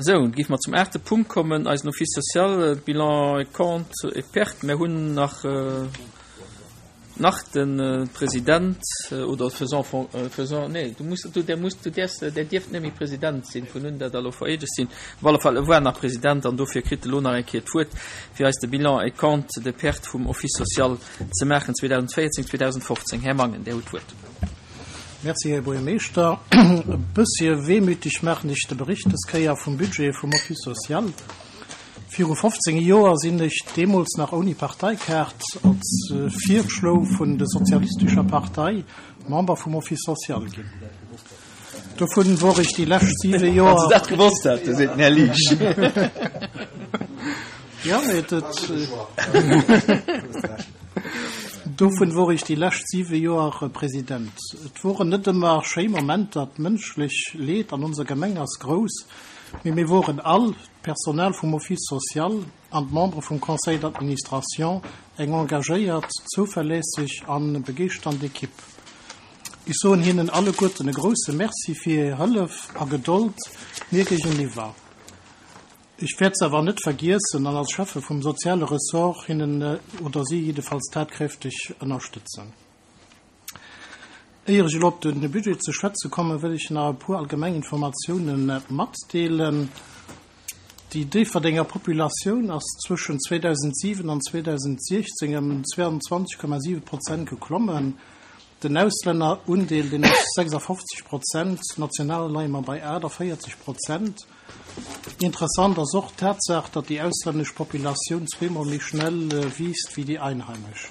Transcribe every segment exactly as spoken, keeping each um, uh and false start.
Sou, géife mer zum aachte Punkt kommen, eisen Office social, Bilan et comptes et pertes. Mir hunn nach nach de President oder faisant faisant, nee, du muss, du, där muss, du däerfs, där dierft net méi President sinn, vun un dat elo vereedegt sinn. Op alle Fall, e war nach President an dofir kritt e lo nach eng Kéier d'Wuert, fir eis de Bilan et comptes de pertes vum Office social ze maachen zweedausendvéierzéng, zweedausendfofzéng. Här Mangen, Dir hutt d'Wuert. Merci, Här Buergermeeschter. E bëssche wehmütig maachen ech de Bericht dës Kéier vum Budget vum Office social. Viru fofzéng Joer sinn ech, deemools nach ouni Parteikaart, als Virschlo vun der Sozialistescher Partei Member vum Office social ginn. Dovun wor ech déi lescht siwe Joer. Wann se dat gewosst hätten, seet den Här Liesch. Jo, mee dat. Dovun wor ech déi lescht siwe Joer President. Et woren net ëmmer schéi Momenter, d'mënschlech Leed an onser Gemeng ass grouss, mee mir woren all, d'Personal vum Office social an d'Membere vum Conseil d'administration, eng engagéiert, zouverlässeg an begeeschternd Equipe. Ech soen hinnen alleguerten e grousse Merci fir hir Hëllef a Gedold mir géigeniwwer. Ech wäert se awer net vergiessen an als Schäffe vum soziale Ressort hinnen oder si jiddefalls tatkräfteg ënnerstëtzen. Éier ech elo op de Budget ze schwätze kommen, wëll ech nach e puer allgemeng Informatiounen matdeelen. Déi Déifferdenger Populatioun ass zwëschen zweedausentsiwen an zweedausentsiechzéng ëm zweiundzwanzeg Komma siwe Prozent geklommen. Den Auslännerundeel, deen ass sechsafofzeg Prozent, national leie mer bei aachtavéierzeg Prozent. Interessant ass och d'Tatsaach, datt déi auslännesch Populatioun zweemol méi schnell wiisst wéi déi einheimesch.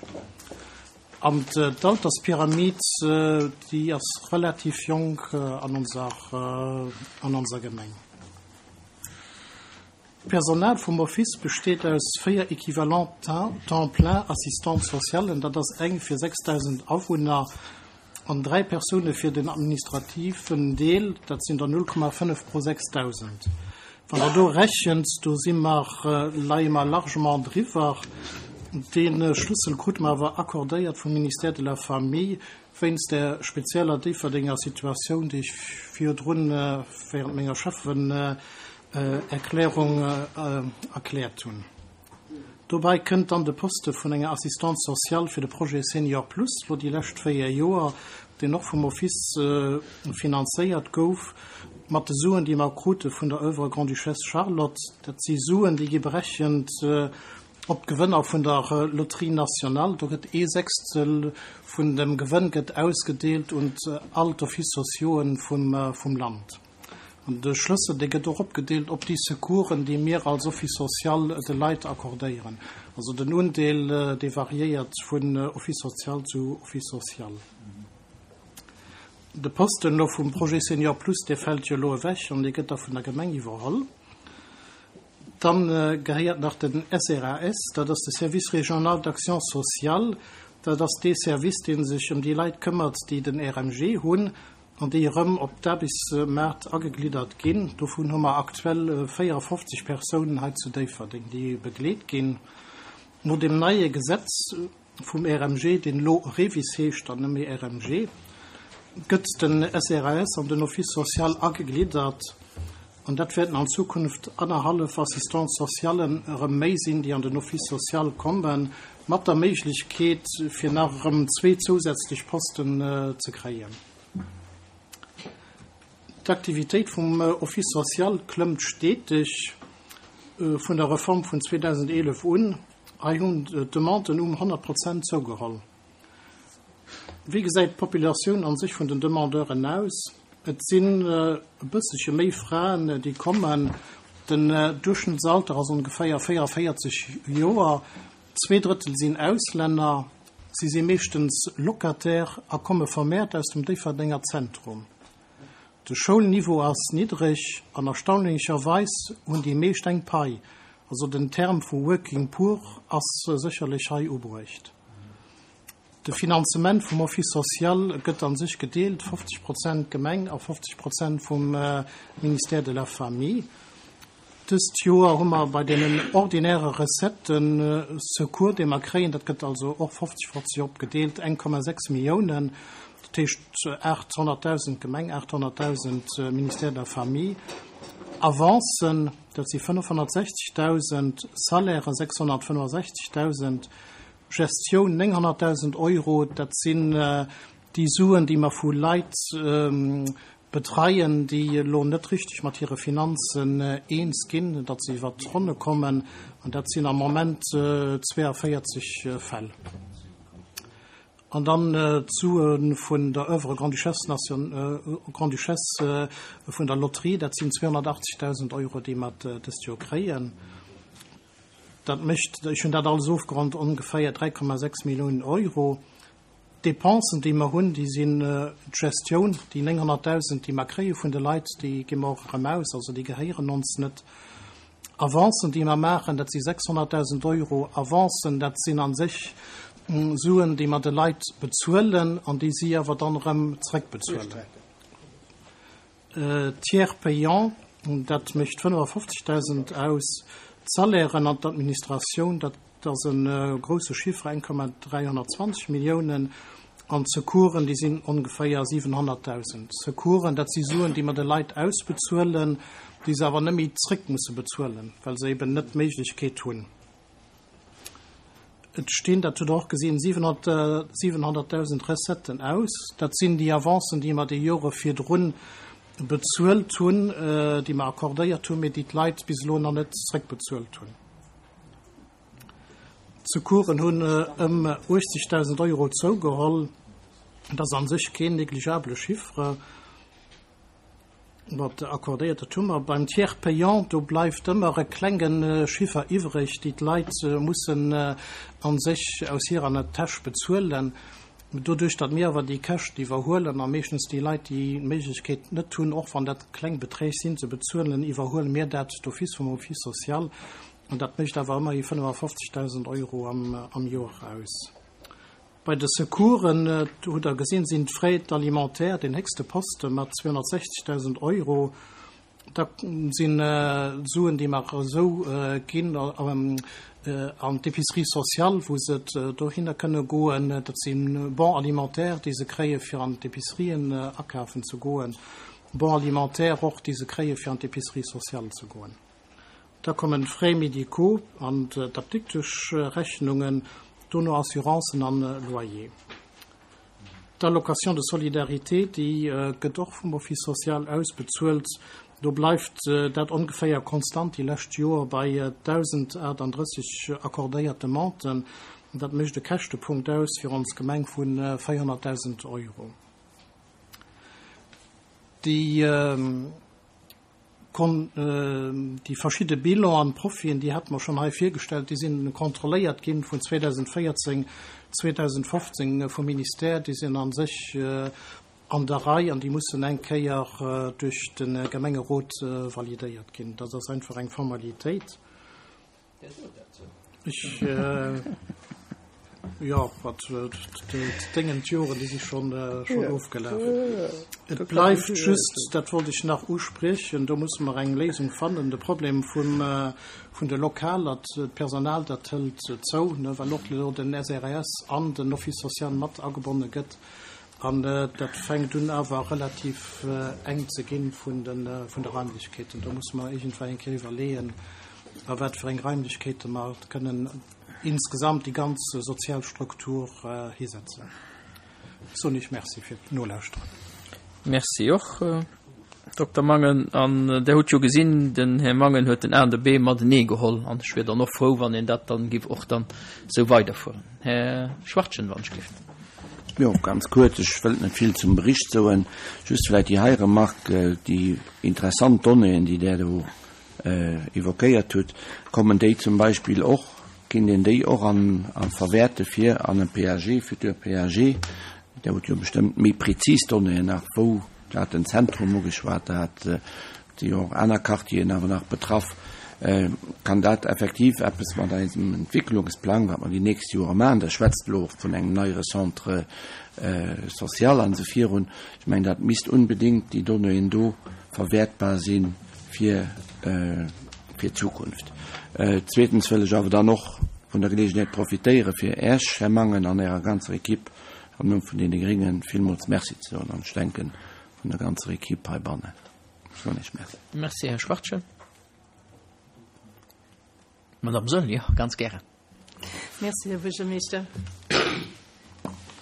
An d'Alterspyramid, déi ass relativ jonk an onser, an onser Gemeng. D'Personal vum Office besteet aus véier Equivalents temps plein Assistantes socialen, dat ass eng fir sechsdausend Awunner, an dräi Persoune fir den administrativen Deel, dat sinn der null Komma fënnef pro sechsdausend. Wann Der do rechent, do si mer, leie mer largement driwwer. Dee Schlëssel krute mer awer accordéiert vum Ministère de la Famille wéinst där spezieller Déifferdenger Situatioun, déi ech virdrun während menger Schäffen Erklärung erkläert hunn. Dobäi kënnt dann de Poste vun enger Assistante sociale fir de Projet Senior Plus, lo déi lescht véier Joer, deen och vum Office finanzéiert gouf, mat de Suen, déi mer krute vun der Oeuvre Grande-Duchesse Charlotte. Dat si Suen, déi gi berechent op d'Gewënner vun der Loterie nationale. Do gëtt ee Sechstel vun dem Gewënn gëtt ausgedeelt un all d'Offices sociauxen vum Land. An de Schlëssel, dee gëtt och opgedeelt op déi Secoursen, déi mir als Office social de Leit accordéieren. Also den Undeel, dee variéiert vun Office social zu Office social. De Posten elo vum Projet Senior Plus, dee fält jo elo ewech an dee gëtt da vun der Gemeng iwwerholl. Dann gehéiert nach den S R A S, dat ass de Service régional d'action sociale. Dat ass dee Service, dee sech ëm déi Leit këmmert, déi den R M G hunn an déi erëm op d'Aarbechtsmaart agegliddert ginn. Dovun hu mer aktuell véierafofzeg Persounen hei zu Déifferdeng, déi begleet ginn. No dem neie Gesetz vum R M G, deen elo REVIS heescht an net méi R M G, gëtt den S R A S an den Office social agegliddert. An dat wäerten an Zukunft annerhallef Assistants socialen erëm méi sinn, déi an den Office social kommen, mat der Méiglechkeet, fir nach erëm zwee zousätzlech Posten ze kréien. D'Aktivitéit vum Office social klëmmt steteg vun der Reform vun zweedausendeelef un. Hei hunn d'Demanden um honnert Prozent zougeholl. Wéi gesäit d'Populatioun an sech vun den Demandeuren aus? Et sinn e bëssche méi Fraen, déi kommen. Den Duerchschnëttsalter ass ongeféier véierundavéierzeg Joer. Zwee Drëttel sinn Auslänner. Si si meeschtens Locataire a komme vermehrt aus dem Déifferdenger Zentrum. De Schoulniveau ass niddreg an erstaunlecherweis hunn déi meescht eng Pai. Also den Term vu Working Poor ass sécherlech hei ubruecht. De Finanzement vum Office social gëtt an sech gedeelt, fofzeg Prozent Gemeng a fofzeg Prozent vum Ministère de la Famille. Dëst Joer hu mer bei deenen ordinäre Recetten Secours, déi mer kréien, dat gëtt also och fofzeg fofzeg opgedeelt, eng Komma sechs Milliounen, dat heescht aathonnertdausend Gemeng, aathonnertdausend Ministère de la Famille. Avancen, dat si fënnefhonnertsechzegdausend, Salairë sechshonnertfënnefosechzegdausend, Gestioun nénghonnertdausend Euro, dat sinn déi Suen, déi mer vu Leit betreien, déi elo net richteg mat hire Finanzen eens ginn, datt se iwwert d'Ronne kommen, an dat sinn am Moment zweeënvéierzeg Fäll. An dann d'Sue vun der Oeuvre Grande-Duchesse Grande-Duchesse vun der Lotterie, dat sinn zweehonnertachtzegdausend Euro, déi mer dëst Joer kréien. Dat mécht, ech hunn dat alles ofgeronnt, ongeféier dräi Komma sechs Milliounen Euro. D'Depensen, déi mer hunn, déi sinn d'Gestioun, déi nénghonnertdausend, déi mer kréie vun de Leit, déi gi mer och erëm aus, also déi gehéieren ons net. Avancen, déi mer maachen, dat si sechshonnertdausend Euro. Avancen, dat sinn a sech Suen, déi mer de Leit bezuelen an déi si awer dann erëm zréckbezuelen. Tiers payant, dat mécht fënnefafofzegdausend aus. D'Salairen an d'Administratioun, dat ass e grousse Chiffre, eng Komma dräihonnertzwanzeg Milliounen. An d'Secoursen, déi sinn ongeféier siwenhonnertdausend. Secoursen, dat si Suen, déi mer de Leit ausbezuelen, déi se awer net méi zréck musse bezuelen, well se eben net d'Méiglechkeet hunn. Et stinn, dat hutt Der och gesinn, siwenhonnertdausend Recetten aus. Dat sinn déi Avancen, déi mer déi Jore virdrun bezuelt hunn, déi mer accordéiert hunn, mee déi d'Leit bis elo nach net zréckbezuelt hunn. D'Secoursen hunn ëm uechtzegdausend Euro zougeholl. Dat ass a sech keen negligeabele Chiffre. Wat accordéiert, dat hu mer. Beim Tiers payant, do bleift ëmmer e klenge Chiffer iwwreg, déi d'Leit mussen a sech aus hirer Täsch bezuelen. Doduerch, datt mir awer déi Käschten iwwerhuelen a meeschtens déi Leit, déi d'Méiglechkeet net hunn, och wann dat kleng Beträg sinn, ze bezuelen, iwwerhuele mir dat d'office vum Office social. An dat mécht awer ëmmerhi fënnefafofzegdausend Euro am Joer aus. Bei de Secoursen, do hutt Der gesinn, sinn d'Frais d'alimentaire deen héchste Poste mat zweehonnertsechzegdausend Euro. Da sinn d'Suen, déi mer esou ginn an d'Épicerie sociale, wou se dohinner kënne goen. Dat si Bons alimentaires, déi se kréie fir an d'Épicerien akafen ze goen. Bons alimentaires och, déi se kréie fir an d'Épicerie sociale ze goen. Da kommen d'Frais médicaux an d'Apdikteschrechnungen, dono Assurancen an Loyer. D'Allocation de solidarité, déi gëtt och vum Office social ausbezuelt. Do bleift dat ongeféier konstant déi lescht Joer bei dausendaachtandrësseg accordéiert Demanden. Dat mécht e Käschtepunkt aus fir ons Gemeng vu véierhonnertdausend Euro. Déi Déi verschidde Bilan an Profiten, déi hate mer schonn hei virgestallt, déi sinn kontrolléiert ginn vun zweedausendvéierzéng, zweedausendfofzéng vum Ministère, déi sinn a sech an der Rei an déi mussen eng Kéier duerch de Gemengerot validéiert ginn. Dat ass einfach eng Formalitéit. Ech, jo, wat d'Déngen, d'Joren, déi si schonn ofgelaf. Et bleift just, dat wollt ech nach uspriechen, do musse mer eng Léisung fannen, de Problem vum, vun de Lokaler, d'Personal, dat hëlt zou, well och elo den S R S an den Office social mat agebonne gëtt. An dat fänkt un awer relativ enk ze ginn vun de, vun de Raimlechkeeten. Do musse mer iergendwéi eng Kéier iwwerleeën, a wat fir eng Raimlechkeete mer kënnen insgesamt déi ganz sozial Struktur hisetzen. Ech soen Iech Merci fir d'Nolauschteren. Merci och, Dokter Mangen. An Der hutt jo gesinn, den Här Mangen huet den A an de B matenee geholl. An ech wier dann och frou, wann een dat dann giff och dann esou weiderfueren. Här Schwachtgen, wann ech gelift. Jo, ganz kuerz, ech wëllt net vill zum Bericht soen, just vläicht déi hei Remarque, déi interessant Donnéeën, déi Der do évoquéiert hutt, kommen déi zum Beispill och, kinnt een déi och an verwäerte fir an e P A G, futur P A G? Der hutt jo bestëmmt méi prezis Donnéeën nach, wou dat den Zentrum ugeschwat hat, si jo och aner Quartieren awer nach betraff. Kann dat effektiv eppes mat eisem Entwicklungsplang, wat mer déi nächst Jore maachen, Der schwätzt elo och vun engem neiere Centre social an esou virun, ech mengen, dat misst unbedéngt déi Donnéeën do verwäertbar si fir fir d'Zukunft. Zweetens wëll ech awer dann och vun der Geleegenheet profitéiere fir Äech, Här Mangen, an Ärer ganzer Equipe am Numm vun deene Gréngen villmools Merci ze soen, an ech denken, vun der ganzer Equipe heibannen. Soen ech Merci. Merci, Här Schwachtgen. Madame Saeul, jo, ganz gären. Merci, Här Buergermeeschter.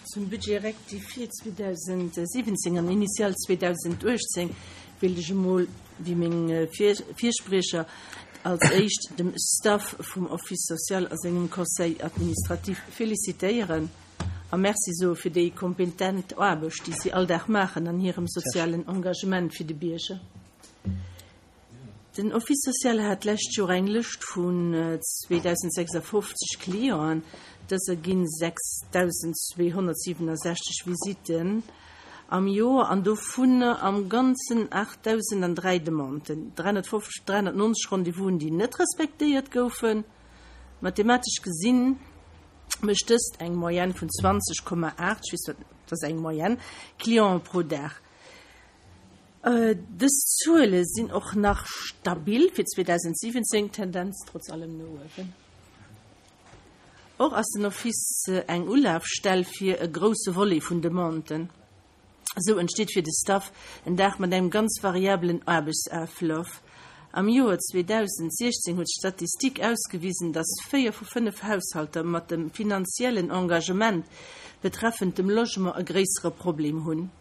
Zum Budget rectifié zweedausendsiwwenzéng an initial zweedausenduechtzéng wéilt ech emol, wéi meng Virspriecher, als éischt dem Staff vum Office social a sengem Conseil administratif felicitéieren a Merci soe fir déi kompetent Aarbecht, déi si all Dag maachen an hirem sozialen Engagement fir de Bierger. Den Office social hat d'lescht Joer eng Lëscht vun zweedausendsechsafofzeg Clienten. Dës erginn sechsdausendzweehonnertsiwwenasechzeg Visitten am Joer an dovunner am Ganzen aachtdausendandräi Demanden, dräihonnertfofzeg, dräihonnertneunzeg Rendez-vousen, déi net respektéiert goufen. Mathematesch gesinn mécht dëst eng Moyenne vun zwanzeg Komma aacht, ech weess net, dat ass eng Moyenne, Clienten pro Dag. Dës Zuele sinn och nach stabil fir zweedausentsiwwenzéng, Tendenz trotz allem no uewen. Och ass den Office eng Ulafstell fir e grousse Volet vun Demanden. Esou entsteet fir de Staff en Dag mat engem ganz variabelen Aarbechtsaflaf. Am Joer zweedausentsiechzéng huet d'Statistik ausgewisen, datt véier vu fënnef Haushalter mat dem finanziellen Engagement betreffend dem Logement e gréissere Problem hunn.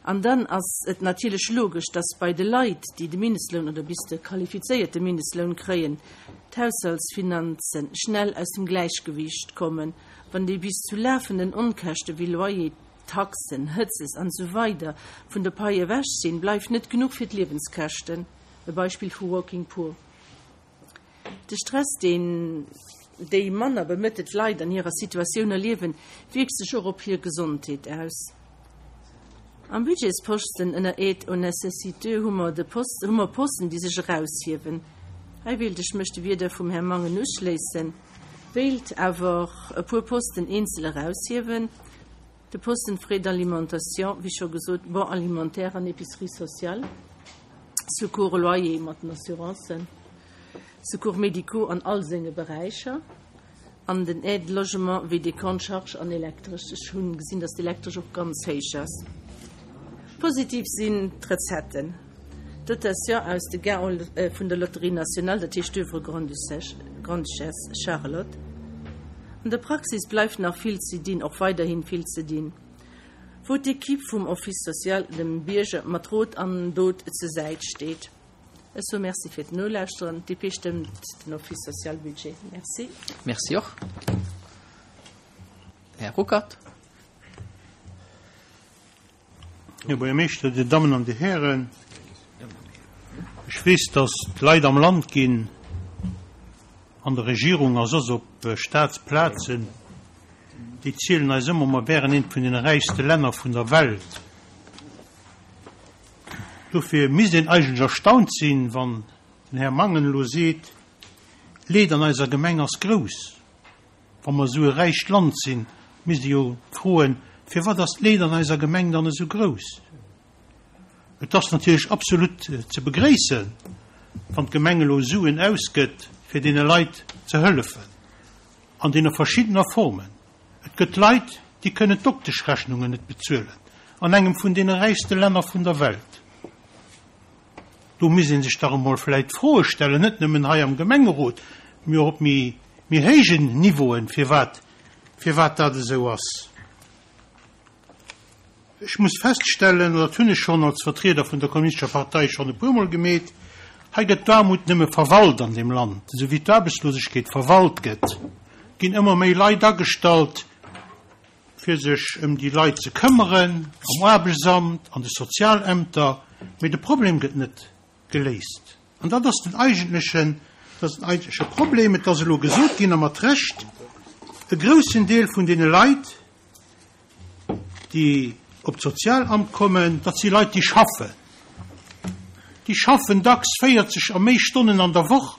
An dann ass et natierlech logesch, datt bei de Leit, déi de Mindestloun oder bis de qualifizéierte Mindestloun kréien, d'Haushaltsfinanzen schnell aus dem Gläichgewiicht kommen, wann déi bis zu lafenden Onkäschte wéi Loyer, Taxen, Hëtzes an esou weider vun der Pai ewech sinn, bleift net genuch fir d'Liewenskäschten, e Beispill vu Working Poor. De Stress, deen déi manner bemëttelt Leit an hirer Situatioun erliewen, wierkt sech och op hir Gesondheet aus. Am Budgetsposten ënner Aide aux nécessiteux hu mer de Post, hu mer Posten, déi sech eraushiewen. Hei wéilt ech mech de Wierder vum Här Mangen uschléissen, wéilt awer e puer Posten eenzel eraushiewen. De Posten Frais d'alimentation, wéi scho gesot, Bon alimentaire an Épicerie sociale, Secours loyer mat den Assurancen, Secours médicaux an all senge Beräicher an den Aide logement wéi Décompte Charge an Elektresch. Ech hunn gesinn, dass d'Elektresch och ganz héich ass. Positiv sinn d'Recetten. D'Dotation aus de Gains vun der Loterie nationale, dat heescht d'Oeuvre Grande-Duchesse Charlotte. An der Praxis bleift nach vill ze dinn, och weiderhin vill ze dinn, wou d'Equipe vum Office social dem Bierger mat Rot an Dot zur Säit steet. Ech soe Merci fir d'Nolauschteren. D P stëmmt den Office social Budget. Merci. Merci och. Här Ruckert. Här Buergermeeschter, Dir Dammen an Dir Hären, ech weess, dass d'Leit am Land ginn, an der Regierung a soss op Staatsplazen, déi zielen eis ëmmer, mer wären eent vun den räichste Länner vun der Welt. Dofir misst een eigentlech erstaunt sinn, wann den Här Mangen elo seet, d'Leed an eiser Gemeng ass grouss. Wa mer esou e räicht Land sinn, misst ee jo froen, firwat ass d'Leed an eiser Gemeng dann esou grouss? Et ass natierlech absolut ze begréissen, wann d'Gemeng elo Suen ausgëtt, fir deene Leit ze hëllefen, an deene verschiddener Formen. Et gëtt Leit, déi kënnen d'Dokteschrechnungen net bezuelen, an engem vun deene räichste Länner vun der Welt. Do misst ee sech dach emol vläicht Froe stellen, net nëmmen hei am Gemengerot, mee och op méi, méi héijen Niveauen, firwat, firwat dat esou ass. Ech muss feststellen, dat hunn ech schonn als Vertrieder vun der Kommunistescher Partei schonn e puermol gemeet, hei gëtt d'Aarmut nëmme verwalt an deem Land, esou wéi d'Aarbechtslosegkeet verwalt gëtt, ginn ëmmer méi Leit agestallt, fir sech ëm déi Leit ze këmmeren, am Aarbechtsamt, an de Sozialämter, mee de Problem gëtt net geléist. An dat ass den eigentlechen, dat ass den eigentleche Problem. Et ass elo gesot ginn, a mat Recht, e groussen Deel vun deene Leit, déi op d'Sozialamt kommen, dat si Leit, déi schaffen. Déi schaffen dacks véierzeg a méi Stonnen an der Woch,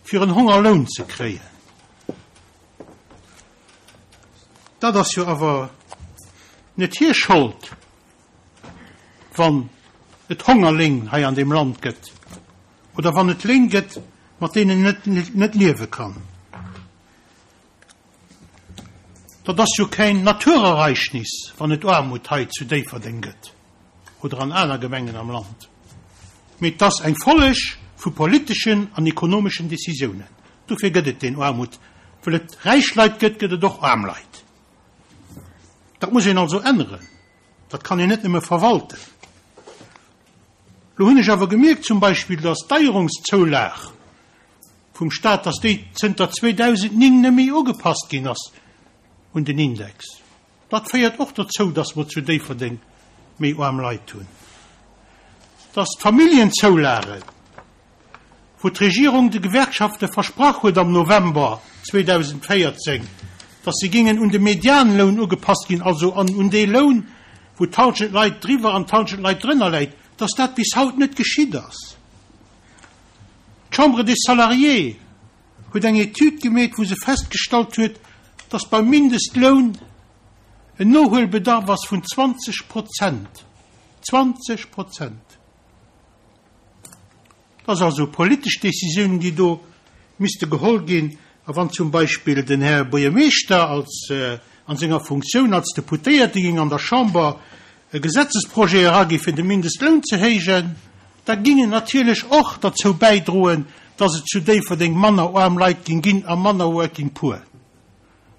fir en Hongerloun ze kréien. Dat ass jo awer net hir Schold, wann et Hongerléin hei an deem Land gëtt oder wann et Léin gëtt, mat deenen net, net liewe kann. Dat ass jo keen Naturereignis, wann et Aarmut hei zu Déifferdeng gëtt oder an aner Gemengen am Land. mee et ass eng Folleg vu politeschen an ekonomeschen Decisiounen. Dofir gëtt et den Aarmut. Well et räich Leit gëtt, gëtt et och aarm Leit. Dat muss een also änneren. Dat kann een net nëmme verwalten. Lo hunn ech awer gemierkt zum Beispill, dass d'Deierungszoulag vum Staat, dass déi zënter zweedausendnéng net méi ugepasst ginn ass un den Index. Dat féiert och dozou, dass mer zu Déifferdeng méi aarm Leit hunn. Dass d'Familljenzoulagen, wou d'Regierung de Gewerkschafte versprach huet am November zweedausendvéierzéng, dass se géingen un de Medianloun ugepasst ginn, also an un dee Loun, wou d'Hallschent Leit driwwer an d'Hallschent Leit drënner läit, dass dat bis haut net geschitt ass. D'Chambre des Salariés huet eng Etüd gemeet, wou se festgestallt huet, dass beim Mindestloun en Nohuelbedarf ass vun zwanzeg Prozent. Zwanzeg Prozent! Dat ass also politesch Décisioun, déi do misste geholl ginn. A wann zum Beispill den Här Buergermeeschter als, an senger Funktioun als Deputéierte géing an der Chamber e Gesetzesprojet eragi fir de Mindestloun ze héijen, da géing en natierlech och derzou bäidroen, dass et zu Déifferdeng manner aarm Leit géing ginn a manner Working Poor.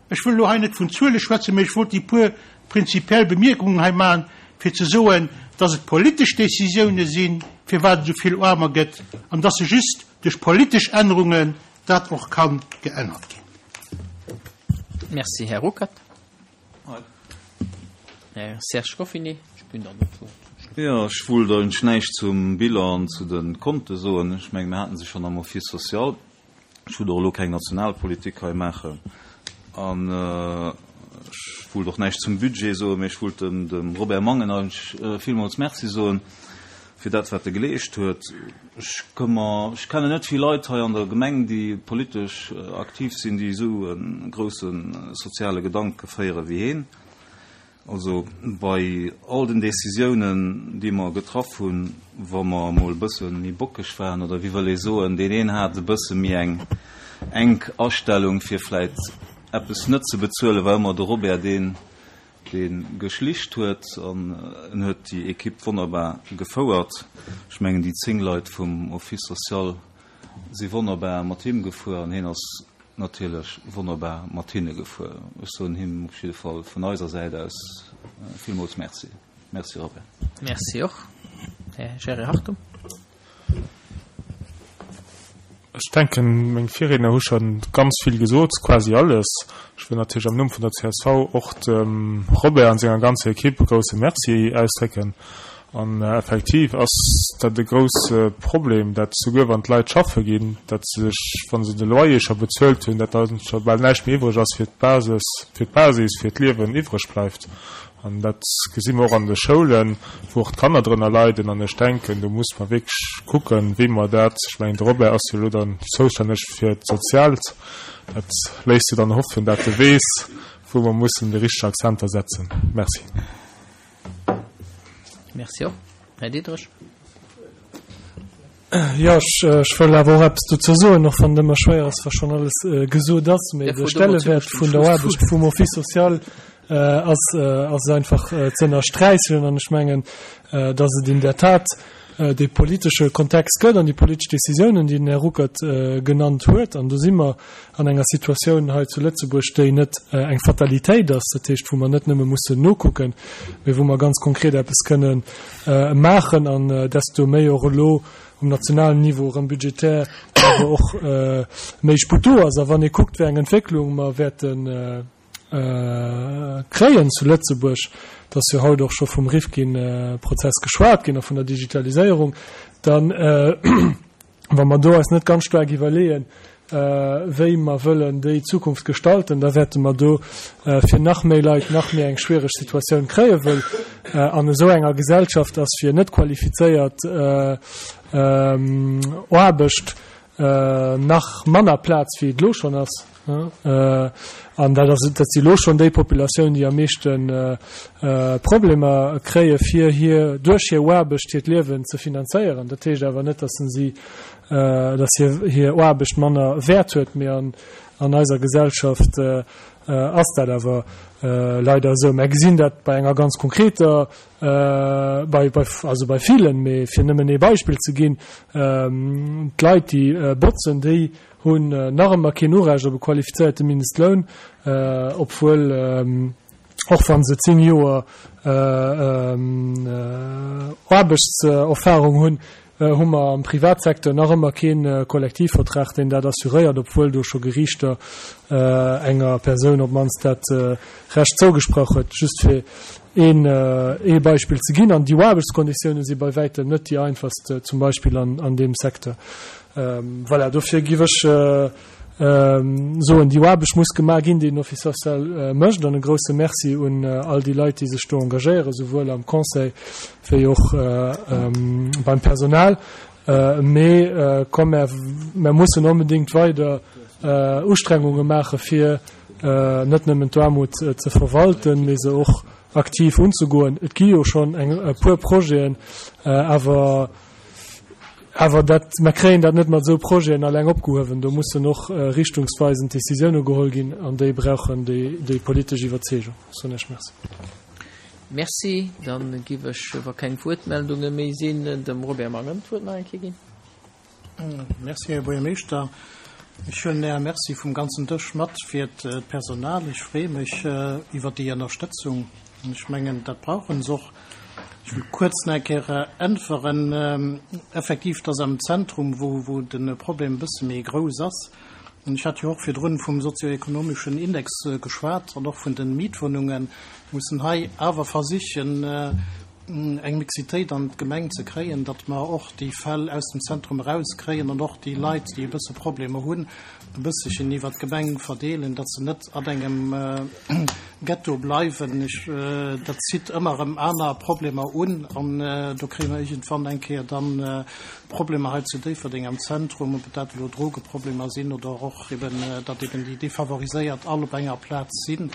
Ech wëll elo hei net vun Zuele schwätzen, mee ech wollt déi puer prinzipiell Bemierkungen hei maachen, fir ze soen, dass et politesch Décisioune sinn, firwat et esou vill Aarmer gëtt, an dass se just duerch politesch Ännerungen dat och ka geännert ginn. Merci, Här Ruckert. Här Serge Goffinet, ech ginn dann d'Wuert zum Schluss. Jo, ech wollt eigentlech näischt zum Bilan an zu de Konte soen. Ech mengen, mir haten se schonn am Office social. Ech wollt och elo keng Nationalpolitik hei maachen. An ech wollt och näischt zum Budget soen, mee ech wollt dem, dem Robert Mangen eigentlech villmools Merci soen fir dat, wat e geleescht huet. Ech ka mer, ech kennen net vill Leit hei an der Gemeng, déi politesch aktiv sinn, déi esou e grousse soziale Gedanke féiere wéi hien. Also bei all den Décisiounen, déi mer getraff hunn, wa mer emol e bësse méi bockeg waren, oder wéi wëll ee soen, deen een hat e bësse méi eng enk Astellung, fir vläit eppes net ze bezuelen, war ëmmer de Robert deen, dee geschlicht huet, an en huet déi Equipe wonnerbar gefouert. Ech mengen, déi zéng Leit vum Office social si wonnerbar mat him gefuer, an hien ass natierlech wonnerbar mat hinne gefuer. Ech soen him op jidde Fall vun eiser Säit aus villmools Merci. Merci Robert. Merci och. Här Jerry Hartung. Ech denken, meng Virriedner hu scho ganz vill gesot, quasi alles. Ech wëll natierlech am Numm vun der C S V och dem Robert an senger ganzer Equipe e grousse Merci ausdrécken. An effektiv ass dat e grousse Problem, dat souguer wann d'Leit schaffe ginn, dat se sech, wa se de Loyer scho bezuelt hunn, dat da scho bal näischt méi iwwreg ass fir d'Basis, fir d'Basis fir d'Liewen iwwreg bleift. An dat gesi mer och an de Schoulen, wou och d'Kanner drënner leiden. An ech denken, do muss mer wierklech kucken, wéi mer dat, ech mengen, de Robert ass jo elo dann zoustänneg fir d'Soziaalt, dat léisst jo dann hoffen, dat e weess, wou mer mussen déi richteg Akzenter setzen. Merci. Merci och. Här Diderich. Jo, ech wëll awer och eppes dozou soen, och wann et ëmmer schwéier ass, wa schonn alles gesot ass. Mee de Stellewäert vun der Aarbecht vum Office social ass ass einfach ze ënnersträichen. An ech mengen, datt et in der Tat dee politesche Kontext gëtt an déi politesch Décisiounen, déi den Här Ruckert genannt huet. An do si mer an enger Situatioun hei zu Lëtzebuerg, déi net eng Fatalitéit ass, dat heescht, wou mer net nëmme mussen nokucken, mee wou mer ganz konkret eppes kënnen maachen, an desto méi och elo um nationalen Niveau erëm budgetär awer och méi Sputt do ass. A wann ee kuckt, wéi eng Entwécklung mer wäerte kréien zu Lëtzebuerg, et ass jo haut och scho vum Rifkin-Prozess geschwat ginn a vun der Digitaliséierung, dann, wa mer do eis net ganz staark iwwerleeën, wéi mer wëllen déi Zukunft gestalten, da wäerte mer do fir nach méi Leit nach méi eng schwiereg Situatioun kréien, wëll an esou enger Gesellschaft ass fir net qualifizéiert Aarbecht nach manner Plaz wéi et elo schonn ass. An dat ass, dat si elo schonn déi Populatioun, déi am meeschte Problemer kréie fir hir, duerch hir Aarbecht hiert Liewen ze finanzéieren. Dat heescht awer net, datt si, datt hir hir Aarbecht manner Wäert huet, mee an An eiser Gesellschaft ass dat awer leider esou. Mär gesinn dat bei enger ganz konkreter, bei, bei, also bei villen, mee fir nëmmen ee Beispill ze ginn, d'Leit, déi botzen, déi hunn nach ëmmer keen Urecht op e qualifizéierte Mindestloun, obwuel, och wa se zéng Joer Aarbechtserfahrung hunn, hu mer am Privatsecteur nach ëmmer kee Kollektivvertrag, deen dat assuréiert, obwuel do scho Geriichter enger Persoun op d'mannst dat Recht zougesprach huet, just fir een ee Beispill ze ginn. An déi Aarbechtskonditioune si bei wäitem net déi einfachst, zum Beispill an deem Secteur. Voilà, dofir giff ech soen, déi Aarbecht muss gemaach ginn, déi den Office social mécht. An e grouse Merci un all déi Leit, déi sech do engagéieren, souwuel am Conseil wéi och beim Personal. Mee komm, mär, mär mussen onbedéngt weider Ustrengunge maache fir net nëmmen d'Aarmut ze verwalten, mee se och aktiv unzegoen. Et gi jo schonn eng e puer Projeten, awer Awer dat, mer kréien dat net mat esou Projeten alleng opgehuewen. Do mussen och richtungsweisend Décisioune geholl ginn, an déi brauchen déi politesch Iwwerzeegung. Soen ech Merci. Merci. Da giff ech, wa keng Wuertmeldunge méi sinn, dem Robert Mangen d'Wuert nach eng Kéier ginn. Merci, Här Buergermeeschter. Ech huelen Äre Merci vum ganzen Dësch mat fir d'Personal. Ech freeë mech iwwer déi Ënnerstëtzung. Ech mengen, dat brauche se och. Ech wëll kuerz nach eng Kéier äntweren. Effektiv, et ass am Zentrum, wou, wou de Problem e bësse méi grouss ass. An ech hat jo och virdrun vum sozioekonomeschen Index geschwat an och vun de Mietwohnungen. Mir mussen hei awer versichen, eng Mixitéit an d'Gemeng ze kréien, datt mer och déi Fäll aus dem Zentrum erauskréien an och déi Leit, déi e bësse Problemer hunn, e bësselchen iwwert d'Gemeng verdeelen, datt se net an engem Ghetto bleiwen. Ech, dat zitt ëmmer erëm aner Problemer un an do kréie mer iergendwann eng Kéier dann Problemer hei zu Déifferdeng am Zentrum, ob et dat elo Drogeproblemer sinn oder och eben, datt eben déi Defavoriséiert all op enger Plaz sinn.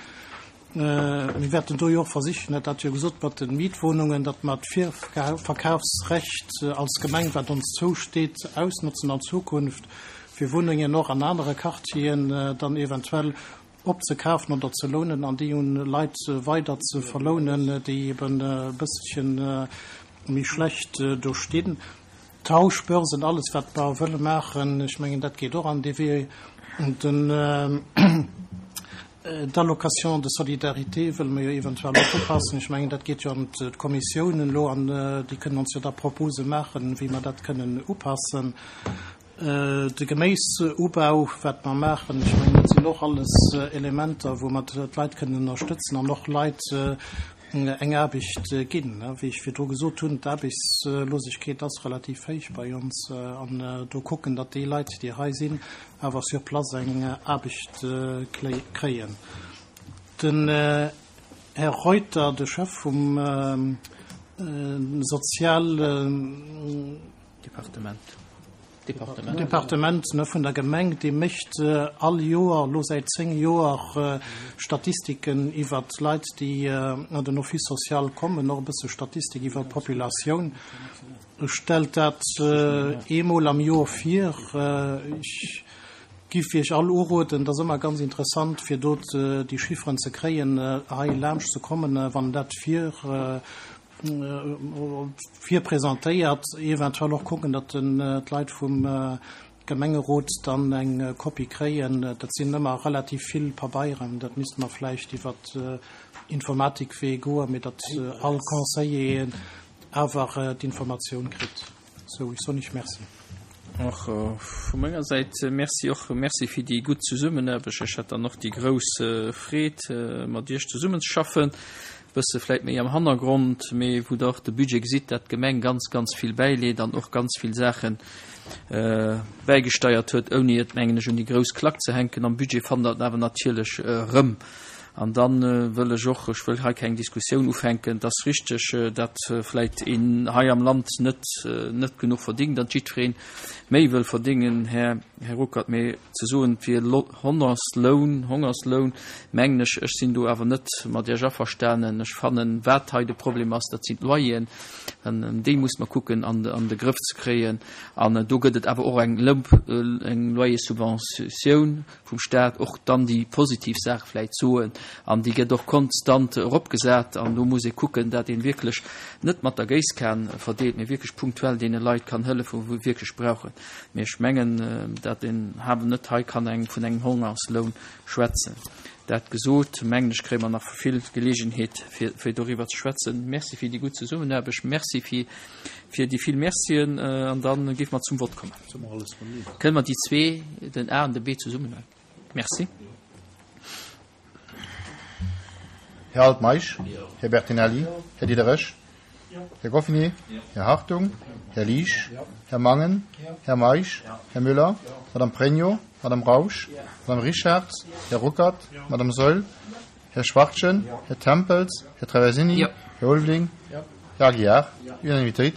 Mir wäerten do jo och versichen, hat dat jo gesot mat de Mietwohnungen, datt mer d'Virverkafsrecht als Gemeng, wat ons zousteet, ausnotzen an Zukunft, fir Wunnengen och an anere Quartieren dann eventuell opzekafen oder ze lounen an déi un Leit weider ze verlounen, déi eben e bësselche méi schlecht do stinn. Tauschbörsen, alles wat mer wëlle maachen, ech mengen dat geet och an dee Wee. Den D'Allocation de solidarité wëlle mer jo eventuell och upassen. Ech mengen dat geet jo an d'Kommissiounen elo an déi kënnen ons jo da Propose maachen, wéi mer dat kënnen upassen. De Geméisubau, wat mer maachen, ech mengen, dat sinn och alles Elementer, wou mer d'Leit kënnen ënnerstëtzen an och Leit eng Aarbecht ginn. Wéi ech virdru gesot hunn, d'Aarbechtslosegkeet ass relativ héich bei ons an do kucken, datt déi Leit, déi hei sinn, awer sur place eng Aarbecht kréien. Den Här Reuter, de Chef vum Sozial. Departement. Departement. Departement ne, vun der Gemeng, dee mécht all Joer, elo säit zéng Joer, Statistiken iwwert d'Leit, déi an den Office social kommen, och e bësse Statistik iwwert d'Populatioun. E stellt dat eemol am Joer vir. Ech giff Iech all uroden, et ass ëmmer ganz interessant, fir do déi Chifferen ze kréien, hei laanscht ze kommen, wann dat vir virpresentéiert, eventuell och kucken, datt d'Leit vum Gemengerot dann eng Kopie kréien. Dat sinn ëmmer relativ vill Pabeieren, dat misste mer vläicht iwwer Informatikwee goen, mee datt all Conseiller awer d'Informatioun kritt. Sou, ech soen Iech Merci. Och vu menger Säit Merci. Och Merci fir déi gutt Zesummenaarbecht. Ech hat dann och déi grouss Freed, mat Iech zesummenzeschaffen. E bësse vläit méi am Hannergrond, mee wou Der och de Budget gesitt, dat d'Gemeng ganz, ganz vill bäileet an och ganz vill Saache bäigesteiert huet, ouni et, mengen ech, un déi grouss Klack ze hänken. Am Budget fannt Der et awer natierlech erëm. An da wëll ech och, ech wëll hei keng Diskussioun ufänken, et ass richteg, datt vläit een hei am Land net, net genuch verdingt an jiddweree méi wëll verdingen, Här Här Ruckert, mee ze soen, et wier Hongersloun, Hongersloun, mengen ech, ech sinn do awer net mat Iech averstanen. Ech fannen, wat hei de Problem ass, dat sinn d'Loyeren, an déi muss mer kucken an de Grëff ze kréien. An do gëtt et awer och eng Lëmp, eng Loyerssubventioun vum Stat, och dann déi positiv Saach vläicht soen, an déi gëtt och konstant eropgesat. An do muss ee kucken, dat ee wierklech net mat der Géisskan verdeelt, mee wierklech punktuell deene Leit kann hëllefen, wou wierklech brauchen. Mee ech mengen, dat een awer net hei kann eng vun engem Hongersloun schwätzen. Dat gesot, mengen ech, kréie mer nach vill Geleegenheet, fir, fir doriwwer ze schwätzen. Merci fir déi gutt Zesummenaarbecht, merci fir, fir déi vill Mercien, an da géife mer zum Vott kommen. Kënne mer déi zwee, den A an de B, zesummen huelen? Merci. Här Altmeisch, Här Bertinelli, Här Diderich, Här Goffinet, Här Hartung, Här Liesch, Här Mangen, Här Meisch, Här Müller, Madame Pregno, Madame Rausch, Madame Richartz, Här Ruckert, Madame Saeul, Här Schwachtgen, Här Tempels, Här Traversini, Här Ulveling, Här Aguiar. Unanimitéit.